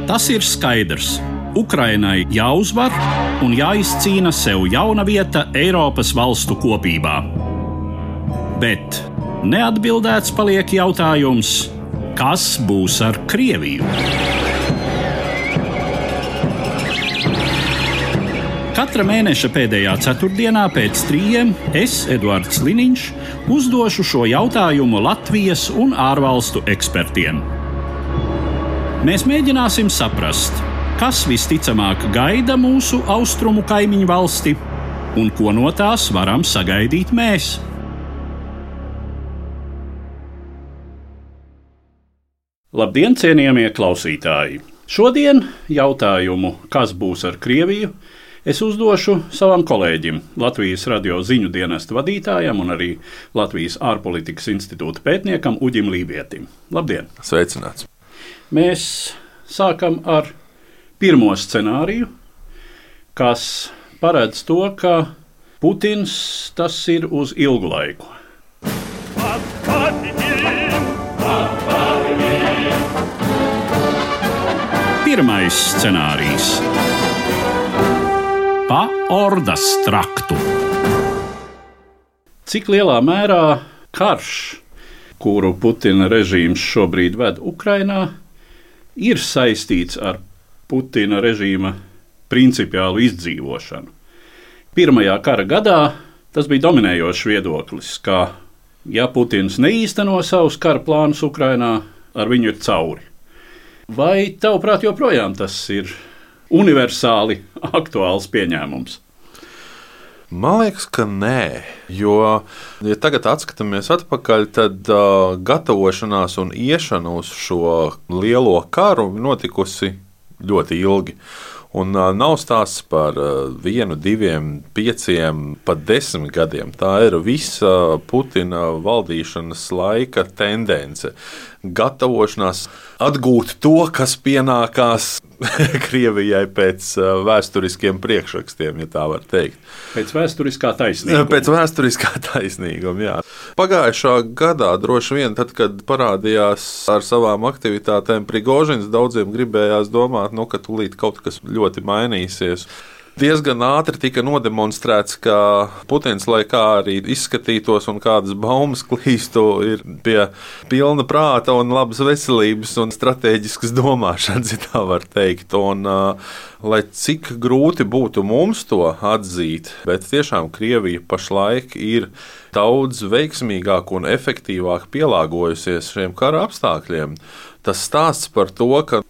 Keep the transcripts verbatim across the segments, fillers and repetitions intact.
Tas ir skaidrs. Ukrainai jāuzvar un jāizcīna sev jauna vieta Eiropas valstu kopībā. Bet neatbildēts paliek jautājums, kas būs ar Krieviju? Katra mēneša pēdējā ceturtdienā pēc trījiem es, Eduards Liniņš, uzdošu šo jautājumu Latvijas un ārvalstu ekspertiem. Mēs mēģināsim saprast, kas visticamāk gaida mūsu austrumu kaimiņu valsti un ko no tās varam sagaidīt mēs. Labdien, cienījamie klausītāji! Šodien jautājumu, kas būs ar Krieviju, es uzdošu savam kolēģim, Latvijas radio ziņu dienesta vadītājam un arī Latvijas ārpolitikas institūta pētniekam Uģim Lībietim. Labdien! Sveicināts! Mēs sākam ar pirmo scenāriju, kas paredz to, ka Putins tas ir uz ilgu laiku. Pirmais scenārijs. Pa ordas traktu. Cik lielā mērā karš, kuru Putina režīms šobrīd ved Ukrainā, ir saistīts ar Putina režīma principiālu izdzīvošanu? Pirmajā kara gadā tas bija dominējošs viedoklis, ka, ja Putins neīsteno savus kara plānus Ukrainā, ar viņu ir cauri. Vai tavuprāt joprojām tas ir universāli aktuāls pieņēmums? Man liekas, ka nē, jo, ja tagad atskatāmies atpakaļ, tad uh, gatavošanās un iešana uz šo lielo karu notikusi ļoti ilgi. Un uh, nav stāsts par uh, vienu, diviem, pieciem, pat desmit gadiem. Tā ir visa Putina valdīšanas laika tendence. Gatavošanās atgūt to, kas pienākās Krievijai pēc uh, vēsturiskiem priekšrakstiem, ja tā var teikt. Pēc vēsturiskā taisnīguma. Pēc vēsturiskā taisnīguma, jā. Pagājušā gadā droši vien, tad, kad parādījās ar savām aktivitātēm Prigožins, daudziem gribējās domāt, nu, ka tūlīt kaut kas ļoti mainīsies. Diezgan ātri tika nodemonstrēts, ka Putins, lai kā arī izskatītos un kādas baumas klīstu, ir pie pilna prāta un labas veselības un stratēģiskas domāšanas, ja tā var teikt. Un, lai cik grūti būtu mums to atzīt, bet tiešām Krievija pašlaik ir daudz veiksmīgāk un efektīvāk pielāgojusies šiem kara apstākļiem. Tas stāsts par to, ka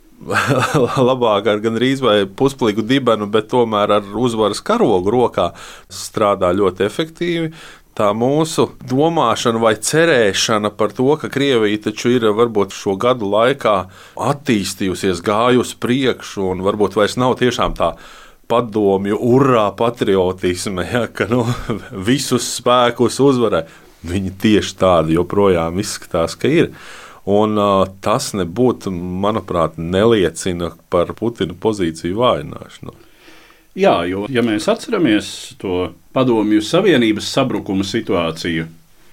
labāk ar gandrīz vai pusplīgu dibenu, bet tomēr ar uzvaras karogu rokā strādā ļoti efektīvi. Tā mūsu domāšana vai cerēšana par to, ka Krievija taču ir varbūt šo gadu laikā attīstījusies, gājusi priekšu un varbūt vairs nav tiešām tā padomju urā patriotisme, ja, ka nu, visus spēkus uzvarē. Viņi tieši tādi joprojām izskatās, ka ir. Un uh, tas nebūtu, manuprāt, neliecina par Putina pozīciju vājināšanu. Jā, jo, ja mēs atceramies to Padomju Savienības sabrukuma situāciju,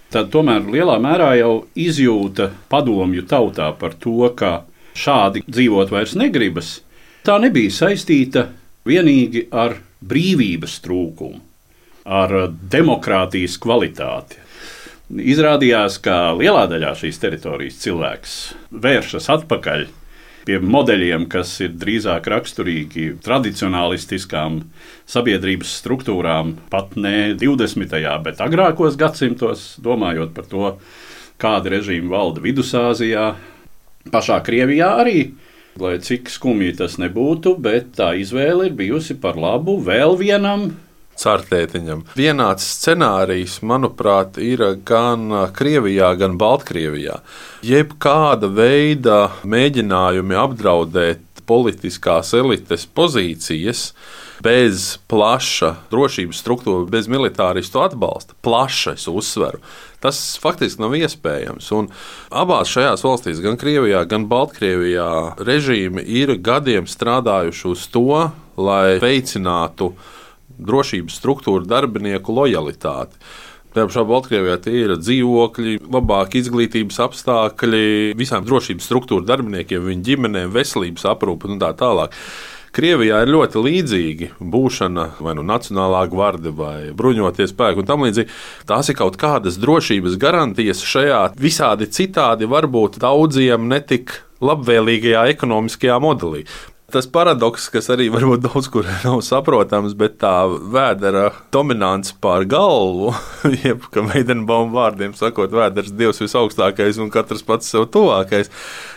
tad tomēr lielā mērā jau izjūta padomju tautā par to, ka šādi dzīvot vairs negribas. Tā nebija saistīta vienīgi ar brīvības trūkumu, ar demokrātijas kvalitāti. Izrādījās, ka lielā daļā šīs teritorijas cilvēks vēršas atpakaļ pie modeļiem, kas ir drīzāk raksturīgi tradicionālistiskām sabiedrības struktūrām, pat ne divdesmitajā, bet agrākos gadsimtos, domājot par to, kāda režīma valda Vidusāzijā, pašā Krievijā arī, lai cik skumji tas nebūtu, bet tā izvēle ir bijusi par labu vēl vienam Cartētiņam. Vienāds scenārijs, manuprāt, ir gan Krievijā, gan Baltkrievijā. Jebkāda veida mēģinājumi apdraudēt politiskās elites pozīcijas bez plaša drošības struktūra, bez militāristu atbalsta, plaša, es uzsveru, tas faktiski nav iespējams. Un abās šajās valstīs, gan Krievijā, gan Baltkrievijā, režīmi ir gadiem strādājuši uz to, lai veicinātu drošības struktūru darbinieku lojalitāti. Tā pašā Baltkrievijā tie ir dzīvokļi, labāki izglītības apstākļi, visām drošības struktūra darbiniekiem, viņu ģimenēm, veselības aprūpe un tā tālāk. Krievijā ir ļoti līdzīgi būšana vai nu Nacionālā gvarde vai bruņotie spēki un tam līdzīgi. Tās ir kaut kādas drošības garantijas šajā visādi citādi varbūt daudziem netik labvēlīgajā ekonomiskajā modelī. Tas paradoks, kas arī varbūt daudz kur nav saprotams, bet tā vēdera dominants pār galvu, jeb, ka Veidenbauma vārdiem sakot, vēders dievs visaugstākais un katrs pats sev tuvākais,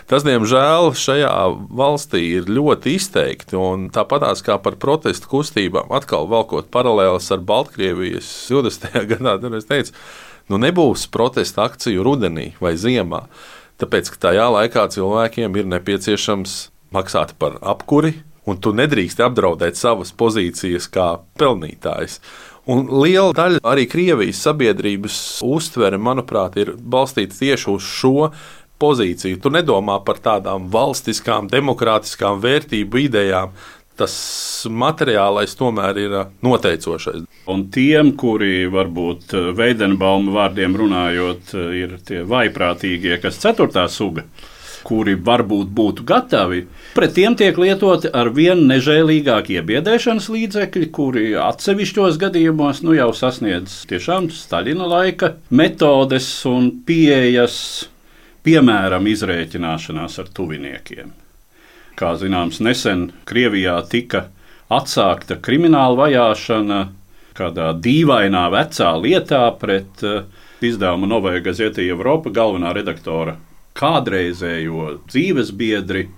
tas, diemžēl, šajā valstī ir ļoti izteikti. Un tāpatās kā par protestu kustībām, atkal valkot paralēlas ar Baltkrievijas divdesmitajā gadā, tad es teicu, nu nebūs protesta akciju rudenī vai ziemā, tāpēc, ka tajā laikā cilvēkiem ir nepieciešams maksāt par apkuri, un tu nedrīkst apdraudēt savas pozīcijas kā pelnītājs. Un liela daļa arī Krievijas sabiedrības uztvere, manuprāt, ir balstīta tieši uz šo pozīciju. Tu nedomā par tādām valstiskām, demokrātiskām vērtību idejām. Tas materiālais tomēr ir noteicošais. Un tiem, kuri varbūt Veidenbauma vārdiem runājot, ir tie vaiprātīgie, kas ceturtā suga, kuri varbūt būtu gatavi, pret tiem tiek lietoti ar vien nežēlīgāk iebiedēšanas līdzekļi, kuri atsevišķos gadījumos nu jau sasniedz tiešām Staļina laika metodes un pieejas, piemēram, izrēķināšanās ar tuviniekiem. Kā zināms, nesen Krievijā tika atsākta krimināla vajāšana kādā dīvainā vecā lietā pret izdevuma Novaja Gazeta Evropa galvenā redaktora kādreizējo dzīvesbiedri.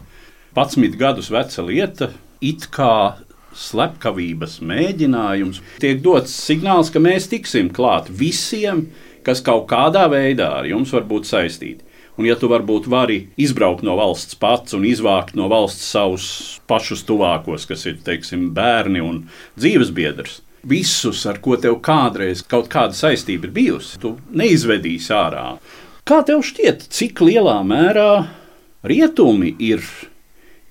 Padsmit gadus veca lieta, it kā slepkavības mēģinājums. Tiek dots signāls, ka mēs tiksim klāt visiem, kas kaut kādā veidā ar jums var būt saistīti. Un ja tu varbūt vari izbraukt no valsts pats un izvākt no valsts savus pašus tuvākos, kas ir, teiksim, bērni un dzīvesbiedrs, visus, ar ko tev kādreiz kaut kāda saistība ir bijusi, tu neizvedīsi ārā. Kā tev šķiet, cik lielā mērā rietumi ir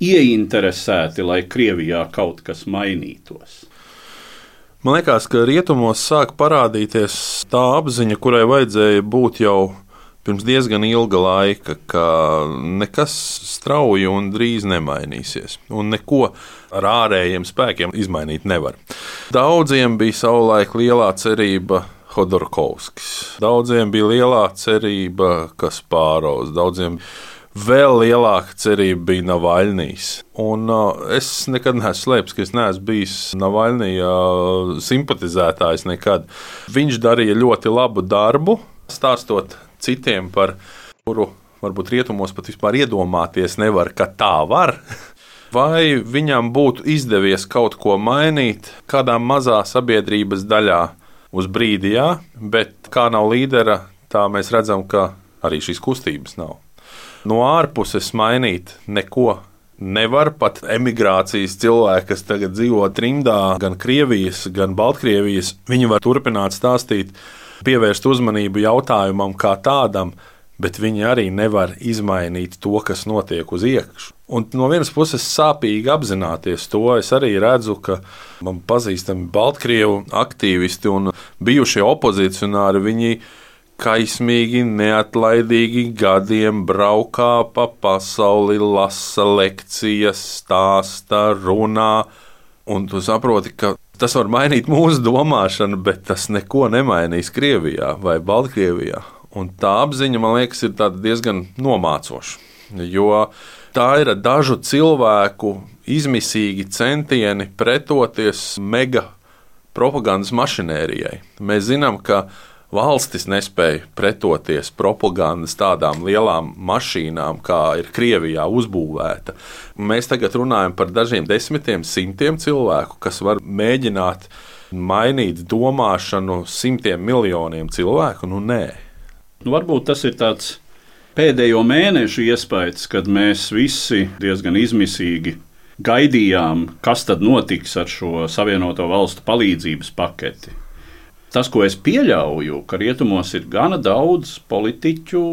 ieinteresēti, lai Krievijā kaut kas mainītos? Man liekas, ka rietumos sāk parādīties tā apziņa, kurai vajadzēja būt jau pirms diezgan ilga laika, ka nekas strauji un drīz nemainīsies, un neko ar ārējiem spēkiem izmainīt nevar. Daudziem bija savulaik lielā cerība Hodorkovskis, daudziem bija lielā cerība Kaspārovs, daudziem vēl lielāka cerība bija Navaļnijs. Un uh, es nekad neesmu slēpis, ka es neesmu bijis Navaļnija uh, simpatizētājs nekad. Viņš darīja ļoti labu darbu, stāstot citiem, par kuru varbūt rietumos pat vispār iedomāties nevar, ka tā var. Vai viņam būtu izdevies kaut ko mainīt kādā mazā sabiedrības daļā uz brīdi, jā, bet kā nav līdera, tā mēs redzam, ka arī šīs kustības nav. No ārpuses mainīt neko nevar, pat emigrācijas cilvēki, kas tagad dzīvo trimdā, gan Krievijas, gan Baltkrievijas, viņi var turpināt stāstīt, pievērst uzmanību jautājumam kā tādam, bet viņi arī nevar izmainīt to, kas notiek uz iekšu. Un no vienas puses sāpīgi apzināties to, es arī redzu, ka man pazīstami Baltkrievu aktīvisti un bijušie opozicionāri, viņi kaismīgi, neatlaidīgi gadiem braukā pa pasauli, lasa lekcijas, stāsta, runā, un tu saproti, ka tas var mainīt mūsu domāšanu, bet tas neko nemainīs Krievijā vai Baltkrievijā. Un tā apziņa, man liekas, ir diezgan nomācoša, jo tā ir dažu cilvēku izmisīgi centieni pretoties mega propagandas mašinērijai. Mēs zinām, ka valstis nespēja pretoties propagandas tādām lielām mašīnām, kā ir Krievijā uzbūvēta. Mēs tagad runājam par dažiem desmitiem, simtiem cilvēku, kas var mēģināt mainīt domāšanu simtiem miljoniem cilvēku. Nu, nē. Nu, varbūt tas ir tāds pēdējo mēnešu iespējas, kad mēs visi diezgan izmisīgi gaidījām, kas tad notiks ar šo Savienoto Valstu palīdzības paketi. Tas, ko es pieļauju, ka rietumos ir gana daudz politiķu,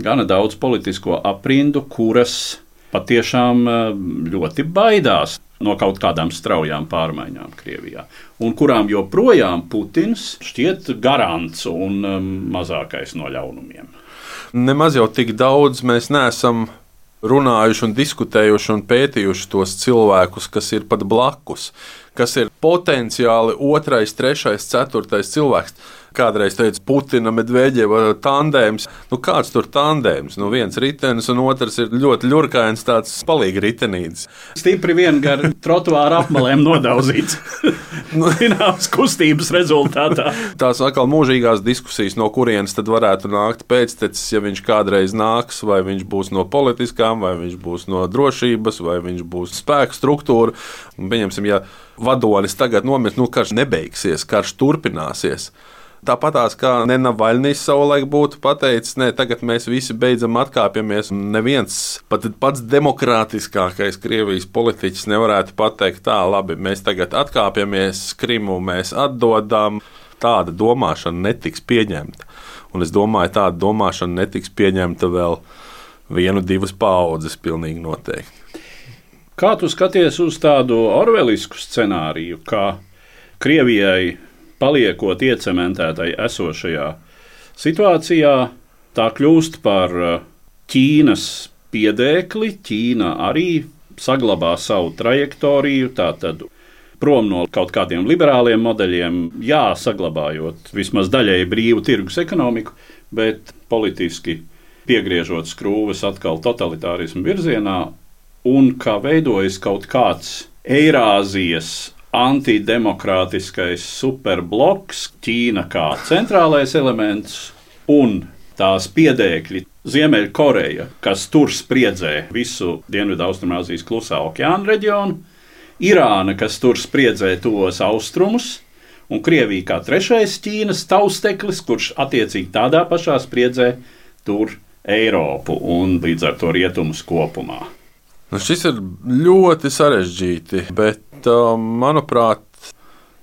gana daudz politisko aprindu, kuras patiešām ļoti baidās no kaut kādām straujām pārmaiņām Krievijā, un kurām joprojām Putins šķiet garants un mazākais no ļaunumiem. Nemaz jau tik daudz mēs neesam runājuši un diskutējuši un pētījuši tos cilvēkus, kas ir pat blakus, kas ir potenciāli otrais, trešais, ceturtais cilvēks. Kādreiz teica Putina, Medveģeva tandēms. Nu, kāds tur tandēms? Nu, viens ritenis un otrs ir ļoti ļurkains, tāds palīgi ritenītis. Stipri vien gar trotuāra apmalēm nodauzīts. Zināms, kustības rezultātā. Tās atkal mūžīgās diskusijas, no kurienes tad varētu nākt pēctecis, ja viņš kādreiz nāks, vai viņš būs no politiskām, vai viņš būs no drošības, vai viņš būs spēku struktūra. Pieņemsim, ja vadonis tagad nomirst, nu karš nebeigsies, karš turpināsies. Tāpatās kā Nenavaļnijs savulaik būtu pateicis, ne, tagad mēs visi beidzam atkāpjamies. Neviens, pat pats demokrātiskākais Krievijas politiķis nevarētu pateikt tā, labi, mēs tagad atkāpjamies, Krimu mēs atdodam. Tāda domāšana netiks pieņemta. Un es domāju, tāda domāšana netiks pieņemta vēl vienu, divas paaudzes pilnīgi noteikti. Kā tu skaties uz tādu orvelisku scenāriju, kā Krievijai paliekot iecementētai esošajā situācijā, tā kļūst par Ķīnas piedēkli. Ķīna arī saglabā savu trajektoriju, tātad prom no kaut kādiem liberāliem modeļiem, jā, saglabājot vismaz daļēji brīvu tirgus ekonomiku, bet politiski piegriežot skrūves atkal totalitārismu virzienā, un kā veidojas kaut kāds Eirāzijas antidemokrātiskais superbloks, Ķīna kā centrālais elements un tās piedēkļi Ziemeļkoreja, kas tur spriedzē visu Dienvidaustrumāzijas klusā okeāna reģionu, Irāna, kas tur spriedzē tos austrumus, un Krievija kā trešais Ķīnas tausteklis, kurš attiecīgi tādā pašā spriedzē tur Eiropu un līdz ar to rietumus kopumā. Nu, šis ir ļoti sarežģīti, bet, manuprāt,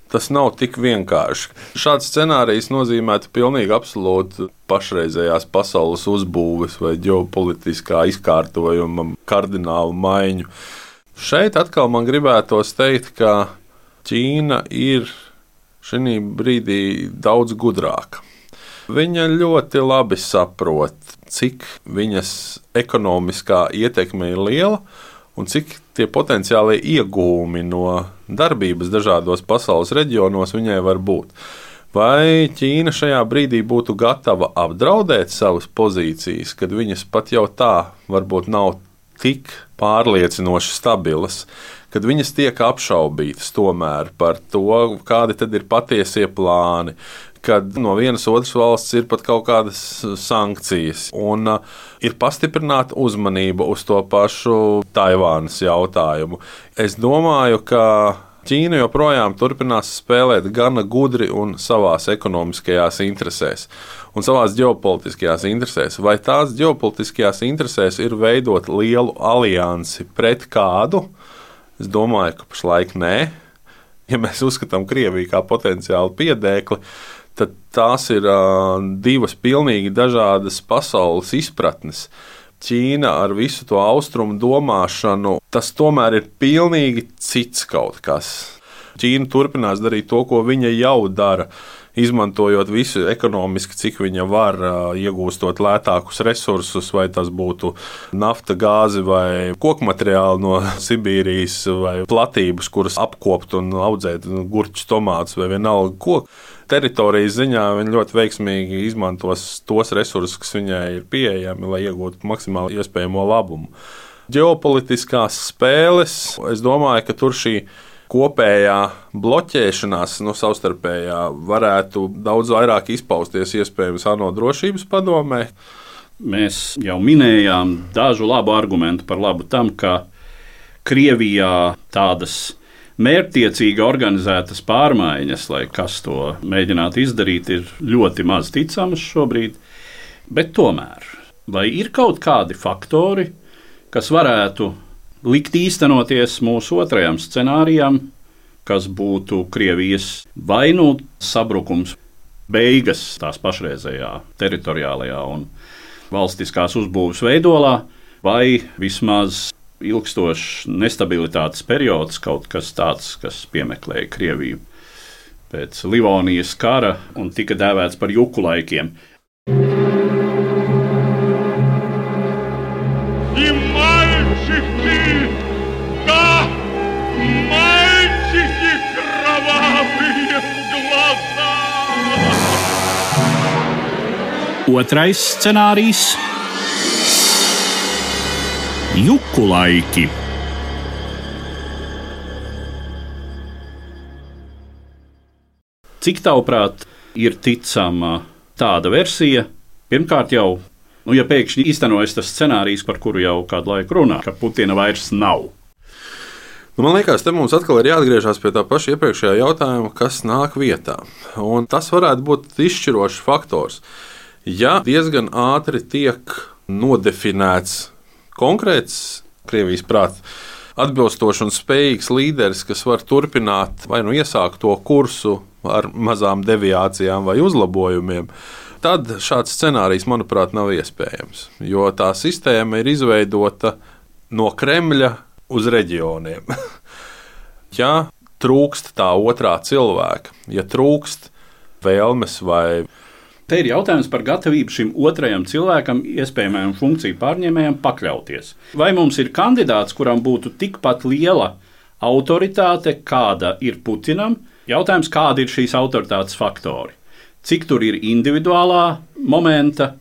tas nav tik vienkārši. Šāds scenārijs nozīmētu pilnīgi absolūti pašreizējās pasaules uzbūves vai ģeopolitiskā izkārtojuma kardinālu maiņu. Šeit atkal man gribētos teikt, ka Ķīna ir šī brīdī daudz gudrāka. Viņa ļoti labi saprot, cik viņas ekonomiskā ietekme ir liela un cik tie potenciālie iegūmi no darbības dažādos pasaules reģionos viņai var būt. Vai Ķīna šajā brīdī būtu gatava apdraudēt savas pozīcijas, kad viņas pat jau tā varbūt nav tik pārliecinoši stabilas, kad viņas tiek apšaubītas tomēr par to, kādi tad ir patiesie plāni, kad no vienas otras valsts ir pat kaut kādas sankcijas un uh, ir pastiprināta uzmanība uz to pašu Taivānas jautājumu. Es domāju, ka Ķīna joprojām turpinās spēlēt gana gudri un savās ekonomiskajās interesēs un savās ģeopolitiskajās interesēs. Vai tās ģeopolitiskajās interesēs ir veidot lielu aliansi pret kādu? Es domāju, ka pašlaik nē. Ja mēs uzskatām Krieviju kā potenciālu piedēkli, tad tās ir uh, divas pilnīgi dažādas pasaules izpratnes. Ķīna ar visu to austrumu domāšanu, tas tomēr ir pilnīgi cits kaut kas. Ķīna turpinās darīt to, ko viņa jau dara, izmantojot visu ekonomiski, cik viņa var, iegūstot lētākus resursus, vai tas būtu nafta, gāzi vai kokmateriāli no Sibīrijas, vai platības, kuras apkopt un audzēt gurķus, tomātus vai vienalga koku. Teritorijas ziņā viņa ļoti veiksmīgi izmantos tos resursus, kas viņai ir pieejami, lai iegūtu maksimāli iespējamo labumu. Ģeopolitiskās spēles, es domāju, ka tur šī kopējā bloķēšanās, no savstarpējā, varētu daudz vairāk izpausties iespējams ANO drošības padomē. Mēs jau minējām dažu labu argumentu par labu tam, ka Krievijā tādas mērķtiecīgi organizētas pārmaiņas, lai kas to mēģinātu izdarīt, ir ļoti maz ticamas šobrīd. Bet tomēr, vai ir kaut kādi faktori, kas varētu likt īstenoties mūsu otrajam scenārijam, kas būtu Krievijas vai nu sabrukums, beigas tās pašreizējā teritoriālajā un valstiskās uzbūves veidolā, vai vismaz ilgstošs nestabilitātes periods, kaut kas tāds, kas piemeklēja Krieviju pēc Livonijas kara un tika dēvēts par juku laikiem. Otrais scenārijs - juku laiki. Cik tavuprāt ir ticama tāda versija? Pirmkārt jau, nu, ja pēkšņi īstenojas tas scenārijs, par kuru jau kādu laiku runā, ka Putina vairs nav. Nu, man liekas, te mums atkal ir jāatgriežas pie tā paša iepriekšējā jautājuma, kas nāk vietā. Un tas varētu būt izšķirošs faktors. Ja diezgan ātri tiek nodefinēts konkrēts Krievijas prāts atbilstošs un spējīgs līderis, kas var turpināt vai nu iesākt to kursu ar mazām deviācijām vai uzlabojumiem, tad šāds scenārijs, manuprāt, nav iespējams. Jo tā sistēma ir izveidota no Kremļa uz reģioniem. Ja trūkst tā otrā cilvēka, ja trūkst vēlmes vai Te ir jautājums par gatavību šim otrajam cilvēkam, iespējamajam funkciju pārņēmējam, pakļauties. Vai mums ir kandidāts, kuram būtu tikpat liela autoritāte, kāda ir Putinam? Jautājums, kādi ir šīs autoritātes faktori? Cik tur ir individuālā momenta?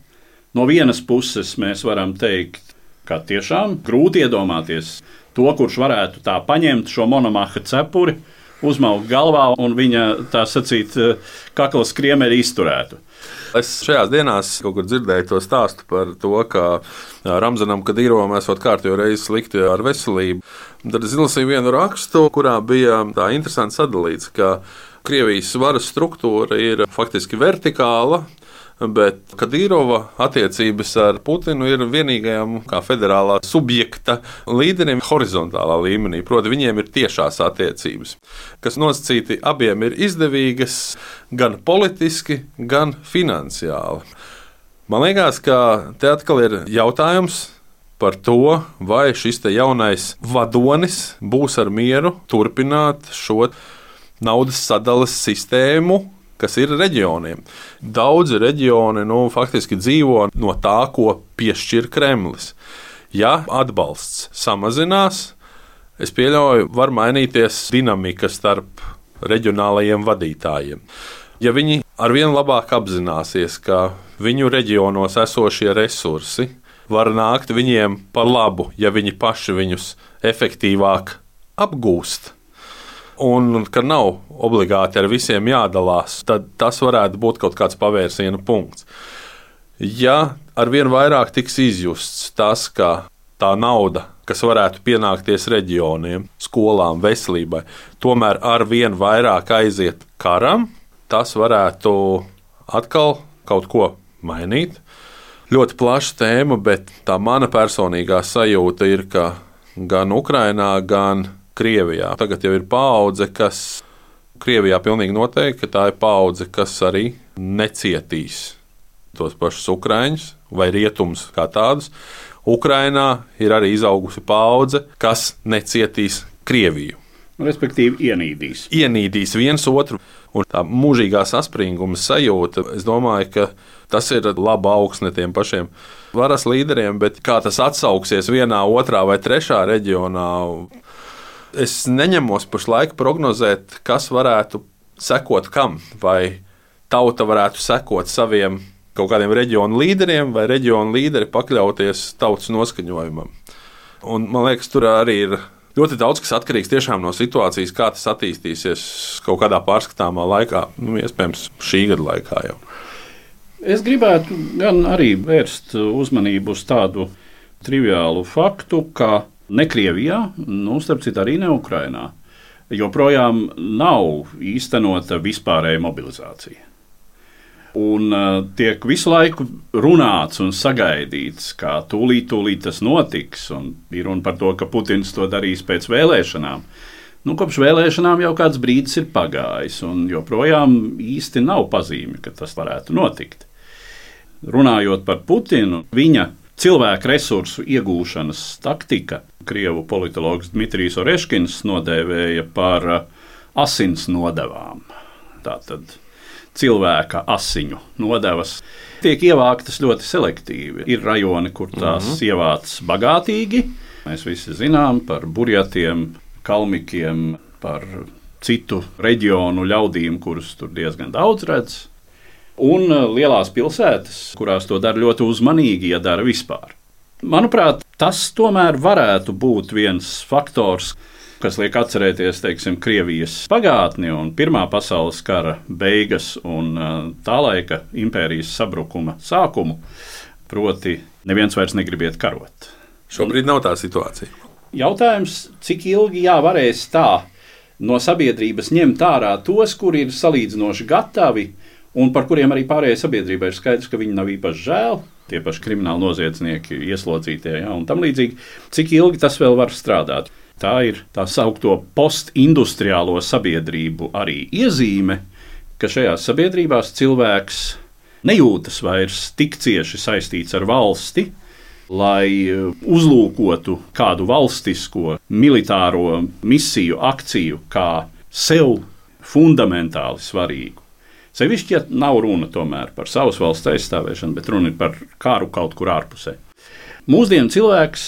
No vienas puses mēs varam teikt, ka tiešām grūti iedomāties to, kurš varētu tā paņemt šo monomaha cepuri, uzmaukt galvā un viņa, tā sacīt, kakla skriemeri izturētu. Es šajās dienās kaut kur dzirdēju to stāstu par to, ka Ramzanam Kadīrovam esot kārtējo reizi slikti ar veselību. Tad es izlasīju vienu rakstu, kurā bija tā interesanti sadalīts, ka Krievijas varas struktūra ir faktiski vertikāla, bet Kadīrova attiecības ar Putinu ir vienīgajam kā federālā subjekta līderim horizontālā līmenī. Proti, viņiem ir tiešās attiecības, kas nosacīti abiem ir izdevīgas gan politiski, gan finansiāli. Man liekas, ka te atkal ir jautājums par to, vai šis te jaunais vadonis būs ar mieru turpināt šo naudas sadales sistēmu, kas ir reģioniem. Daudzi reģioni nu, faktiski dzīvo no tā, ko piešķir Kremlis. Ja atbalsts samazinās, es pieļauju, var mainīties dinamika starp reģionālajiem vadītājiem. Ja viņi arvien labāk apzināsies, ka viņu reģionos esošie resursi var nākt viņiem par labu, ja viņi paši viņus efektīvāk apgūst, un ka nav obligāti ar visiem jādalās, tad tas varētu būt kaut kāds pavērsiena punkts. Ja arvien vairāk tiks izjusts tas, ka tā nauda, kas varētu pienākties reģioniem, skolām, veselībai, tomēr arvien vairāk aiziet karam, tas varētu atkal kaut ko mainīt. Ļoti plaša tēma, bet tā mana personīgā sajūta ir, ka gan Ukrainā, gan Krievijā tagad jau ir paudze, kas Krievijā pilnīgi noteikti, ka tā ir paudze, kas arī necietīs tos pašus ukraiņus vai rietumus kā tādus. Ukrainā ir arī izaugusi paudze, kas necietīs Krieviju. Respektīvi ienīdīs. Ienīdīs viens otru. Un tā mūžīgā saspringuma sajūta, es domāju, ka tas ir laba augsne tiem pašiem varas līderiem, bet kā tas atsauksies vienā, otrā vai trešā reģionā, es neņemos pašlaik prognozēt, kas varētu sekot kam, vai tauta varētu sekot saviem kaut kādiem reģionu līderiem, vai reģionu līderi pakļauties tautas noskaņojumam. Un, man liekas, tur arī ir ļoti daudz, kas atkarīgs tiešām no situācijas, kā tas attīstīsies kaut kādā pārskatāmā laikā, nu, iespējams, šī gada laikā jau. Es gribētu gan arī vērst uzmanību uz tādu triviālu faktu, ka ne Krievijā, nu, starp citu arī ne Ukrainā, joprojām nav īstenota vispārēja mobilizācija. Un uh, tiek visu laiku runāts un sagaidīts, ka tūlīt, tūlīt tas notiks, un ir runa par to, ka Putins to darīs pēc vēlēšanām. Nu, kopš vēlēšanām jau kāds brīdis ir pagājis, un joprojām īsti nav pazīmi, ka tas varētu notikt. Runājot par Putinu, viņa cilvēku resursu iegūšanas taktika krievu politologs Dmitrijs Oreškins nodēvēja par asins nodevām. Tātad cilvēka asiņu nodevas tiek ievāktas ļoti selektīvi. Ir rajoni, kur tās mm-hmm. ievāc bagātīgi. Mēs visi zinām par burjatiem, kalmikiem, par citu reģionu ļaudīm, kurus tur diezgan daudz redz. Un lielās pilsētas, kurās to dara ļoti uzmanīgi, ja dara vispār. Manuprāt, tas tomēr varētu būt viens faktors, kas liek atcerēties, teiksim, Krievijas pagātni un Pirmā pasaules kara beigas un tā laika impērijas sabrukuma sākumu, proti neviens vairs negrib iet karot. Šobrīd nav tā situācija. Jautājums, cik ilgi jā varēs tā no sabiedrības ņemt ārā tos, kuri ir salīdzinoši gatavi un par kuriem arī pārējai sabiedrībai ir skaidrs, ka viņi nav īpaši žēl, tie paši krimināli noziedznieki, ieslodzītie, ja, un tam līdzīgi, cik ilgi tas vēl var strādāt. Tā ir tā saukto postindustriālo sabiedrību arī iezīme, ka šajās sabiedrībās cilvēks nejūtas vairs tik cieši saistīts ar valsti, lai uzlūkotu kādu valstisko militāro misiju, akciju kā sev fundamentāli svarīgu. Sevišķi, ja nav runa tomēr par savas valsts aizstāvēšanu, bet runa ir par kāru kaut kur ārpusē. Mūsdienu cilvēks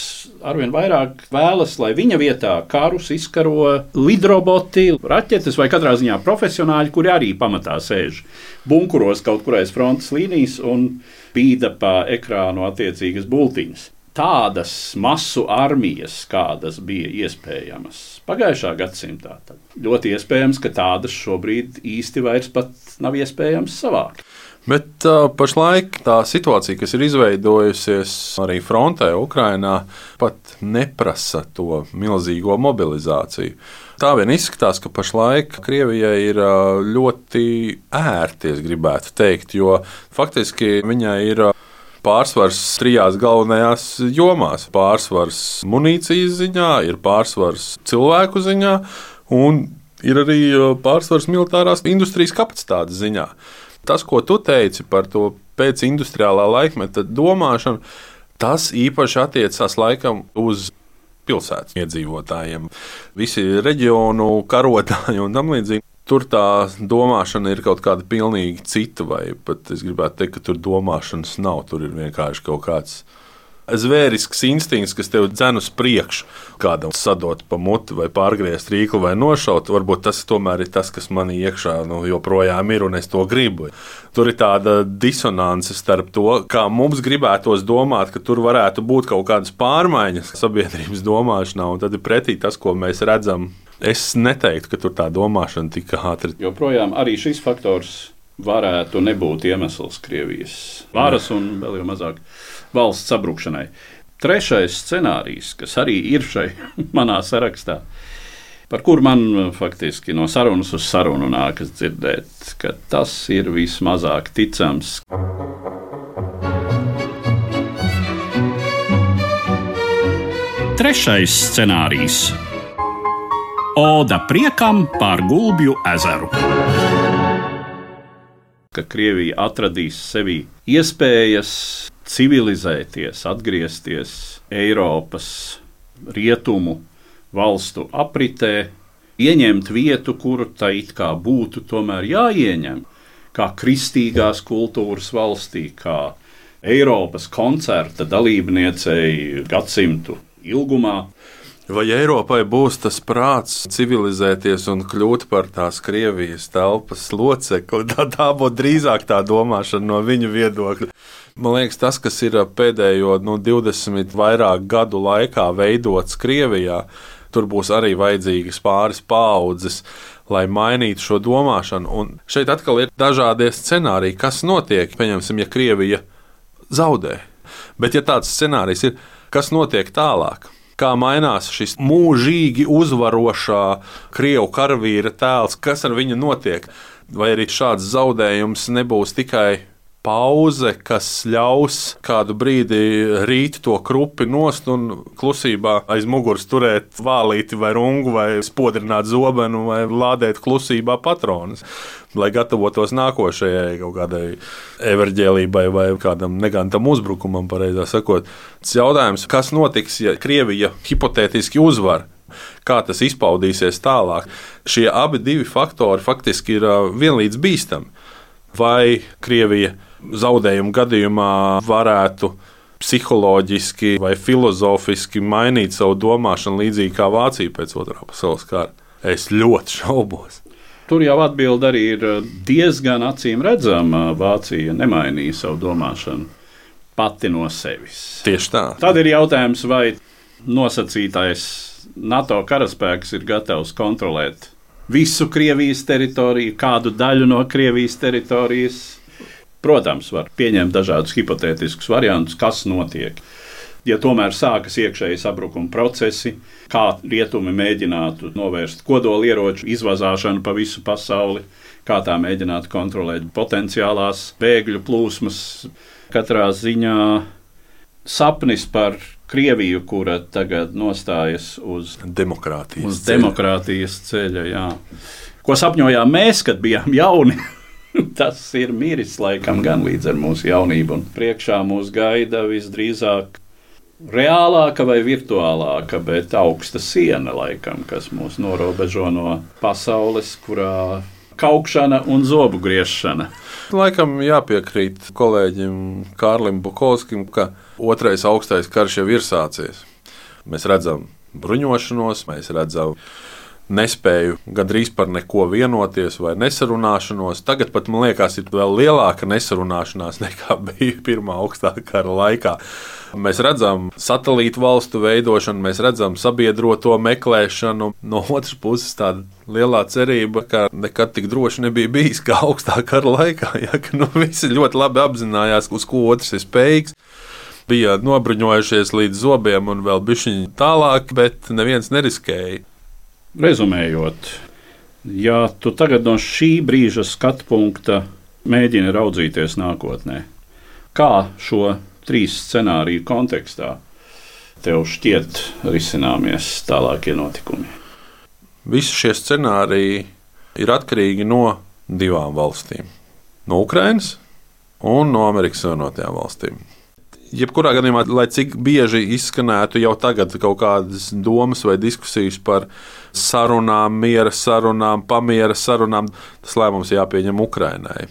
arvien vairāk vēlas, lai viņa vietā karus izkaro lidroboti, raķetes vai katrā ziņā profesionāļi, kuri arī pamatā sēž bunkuros kaut kur aiz frontes līnijas un bīda pa ekrānu attiecīgas bultiņas. Tādas masu armijas, kādas bija iespējamas pagājušā gadsimtā, tad ļoti iespējams, ka tādas šobrīd īsti vairs pat nav iespējams savākt. Bet uh, pašlaik tā situācija, kas ir izveidojusies arī frontē Ukrainā, pat neprasa to milzīgo mobilizāciju. Tā vien izskatās, ka pašlaik Krievijai ir uh, ļoti ērti, es gribētu teikt, jo faktiski viņai ir uh, pārsvars trijās galvenajās jomās. Pārsvars munīcijas ziņā, ir pārsvars cilvēku ziņā un ir arī pārsvars militārās industrijas kapacitātes ziņā. Tas, ko tu teici par to pēcindustriālā laikmeta domāšanu, tas īpaši attiecās laikam uz pilsētas iedzīvotājiem. Visi reģionu karotāji un tam līdzīgi. Tur tā domāšana ir kaut kāda pilnīgi cita, vai pat es gribētu teikt, ka tur domāšanas nav. Tur ir vienkārši kaut kāds zvērisks instinkts, kas tev dzen uz priekšu. Kādam sadot pa muti vai pārgriezt rīklu vai nošaut, varbūt tas tomēr ir tas, kas manī iekšā nu, joprojām ir un es to gribu. Tur ir tāda disonance starp to, kā mums gribētos domāt, ka tur varētu būt kaut kādas pārmaiņas sabiedrības domāšanā, un tad ir pretī tas, ko mēs redzam. Es neteiktu, ka tur tā domāšana tik ātri. Joprojām arī šis faktors varētu nebūt iemesls Krievijas varas un vēl jau mazāk valsts sabrukšanai. Trešais scenārijs, kas arī ir šai manā sarakstā, par kur man faktiski no sarunas uz sarunu nākas dzirdēt, ka tas ir vismazāk ticams. Trešais scenārijs. Oda priekam pār Gulbju ezeru. Ka Krievija atradīs sevī iespējas civilizēties, atgriezties Eiropas rietumu valstu apritē, ieņemt vietu, kuru tā it kā būtu tomēr jāieņem, kā kristīgās kultūras valstī, kā Eiropas koncerta dalībniecei gadsimtu ilgumā. Vai Eiropai būs tas prāts civilizēties un kļūt par tās Krievijas telpas locekli? Tā, tā būtu drīzāk tā domāšana no viņu viedokļa. Man liekas, tas, kas ir pēdējo nu, divdesmit vairāk gadu laikā veidots Krievijā, tur būs arī vajadzīgas pāris paaudzes, lai mainītu šo domāšanu. Un šeit atkal ir dažādie scenāriji, kas notiek, pieņemsim, ja Krievija zaudē. Bet ja tāds scenārijs ir, kas notiek tālāk? Kā mainās šis mūžīgi uzvarošā krievu karavīra tēls, kas ar viņu notiek? Vai arī šāds zaudējums nebūs tikai pauze, kas ļaus kādu brīdi rīt to krupi nost un klusībā aiz muguras turēt vālīti vai rungu, vai spodrināt zobenu, vai lādēt klusībā patronus, lai gatavotos nākošajai kaut kādai everģēlībai vai kādam negantam uzbrukumam, pareizā sakot. Tas jautājums, kas notiks, ja Krievija hipotētiski uzvar? Kā tas izpaudīsies tālāk? Šie abi divi faktori faktiski ir vienlīdz bīstami. Vai Krievija zaudējumu gadījumā varētu psiholoģiski vai filozofiski mainīt savu domāšanu līdzīgi kā Vācija pēc otrā pasaules kara? Es ļoti šaubos. Tur jau atbilde arī ir diezgan acīm redzama. Vācija nemainīja savu domāšanu pati no sevis. Tieši tā. Tad ir jautājums, vai nosacītais NATO karaspēks ir gatavs kontrolēt visu Krievijas teritoriju, kādu daļu no Krievijas teritorijas. Protams, var pieņemt dažādus hipotētiskus variantus, kas notiek. Ja tomēr sākas iekšēji sabrukuma procesi, kā rietumi mēģinātu novērst kodolieroču izvazāšanu pa visu pasauli, kā tā mēģinātu kontrolēt potenciālās bēgļu plūsmas, katrā ziņā sapnis par Krieviju, kura tagad nostājas uz demokrātijas, uz demokrātijas ceļa. Jā. Ko sapņojām mēs, kad bijām jauni? Tas ir miris laikam gan līdz ar mūsu jaunību. Un priekšā mūs gaida visdrīzāk reālāka vai virtuālāka, bet augsta siena laikam, kas mūs norobežo no pasaules, kurā kaukšana un zobu griešana. Laikam jāpiekrīt kolēģim Kārlim Bukovskim, ka otrais augstais karš jau ir sācies. Mēs redzam bruņošanos, mēs redzam nespēju gandrīz par neko vienoties vai nesarunāšanos. Tagad pat, man liekas, ir vēl lielāka nesarunāšanās nekā bija pirmā augstā kara laikā. Mēs redzam satelītu valstu veidošanu, mēs redzam sabiedroto meklēšanu. No otras puses tāda lielā cerība, ka nekad tik droši nebija bijis kā augstā kara laikā. Ja, ka, nu, visi ļoti labi apzinājās, uz ko otrs ir spējīgs. Bija nobruņojušies līdz zobiem un vēl bišķiņi tālāk, bet neviens neriskēja. Rezumējot, ja tu tagad no šī brīža skatu punkta mēģini raudzīties nākotnē, kā šo trīs scenāriju kontekstā tev šķiet risināmies tālākie notikumi? Visi šie scenāriji ir atkarīgi no divām valstīm. No Ukrainas un no Amerikas Savienotajām valstīm. Jebkurā gadījumā, lai cik bieži izskanētu jau tagad kaut kādas domas vai diskusijas par sarunām, miera sarunām, pamiera sarunām, tas lēmums jāpieņem Ukrainai.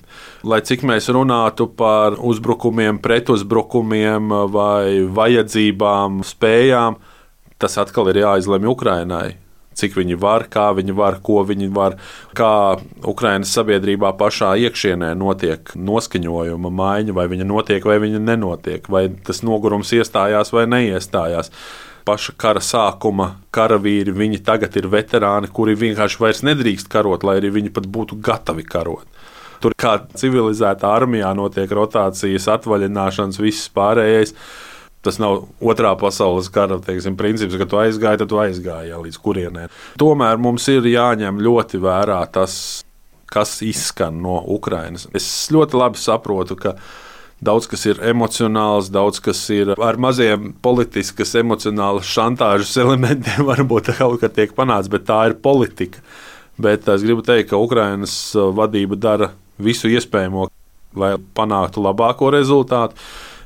Lai cik mēs runātu par uzbrukumiem, pretuzbrukumiem vai vajadzībām, spējām, tas atkal ir jāizlemj Ukrainai. Cik viņi var, kā viņi var, ko viņi var, kā Ukrainas sabiedrībā pašā iekšienē notiek noskaņojuma maiņa, vai viņa notiek, vai viņa nenotiek, vai tas nogurums iestājās vai neiestājās. Paša kara sākuma karavīri, viņi tagad ir veterāni, kuri vienkārši vairs nedrīkst karot, lai arī viņi pat būtu gatavi karot. Tur kā civilizētā armijā notiek rotācijas, atvaļināšanas, viss pārējais. Tas nav otrā pasaules kara teiksim, princips, ka tu aizgāji, tad tu aizgāji jā, līdz kurienē. Tomēr mums ir jāņem ļoti vērā tas, kas izskan no Ukrainas. Es ļoti labi saprotu, ka daudz kas ir emocionāls, daudz kas ir ar maziem politiskas, emocionālas šantāžas elementiem, varbūt kaut kā tiek panāts, bet tā ir politika. Bet es gribu teikt, ka Ukrainas vadība dara visu iespējamo, lai panāktu labāko rezultātu.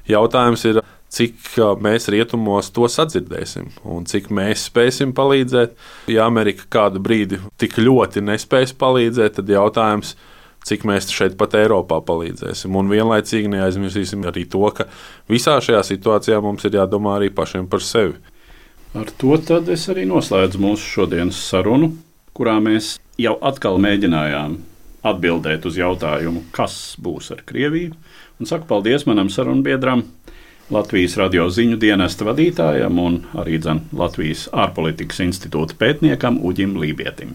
Jautājums ir, cik mēs rietumos to sadzirdēsim un cik mēs spēsim palīdzēt. Ja Amerika kādu brīdi tik ļoti nespēs palīdzēt, tad jautājums, cik mēs šeit pat Eiropā palīdzēsim. Un vienlaicīgi neaizmirsīsim arī to, ka visā šajā situācijā mums ir jādomā arī pašiem par sevi. Ar to tad es arī noslēdzu mūsu šodienas sarunu, kurā mēs jau atkal mēģinājām atbildēt uz jautājumu, kas būs ar Krieviju. Un saku paldies manam sarunbiedram, Latvijas radio ziņu dienesta vadītājam un arī dzen Latvijas ārpolitikas institūta pētniekam Uģim Lībietim.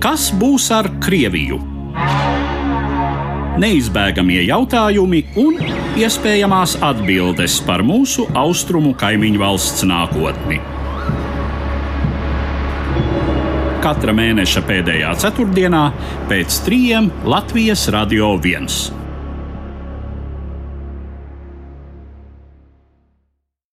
Kas būs ar Krieviju? Neizbēgamie jautājumi un iespējamās atbildes par mūsu austrumu kaimiņu valsts nākotni. Katra mēneša pēdējā ceturtdienā pēc trījiem Latvijas Radio viens.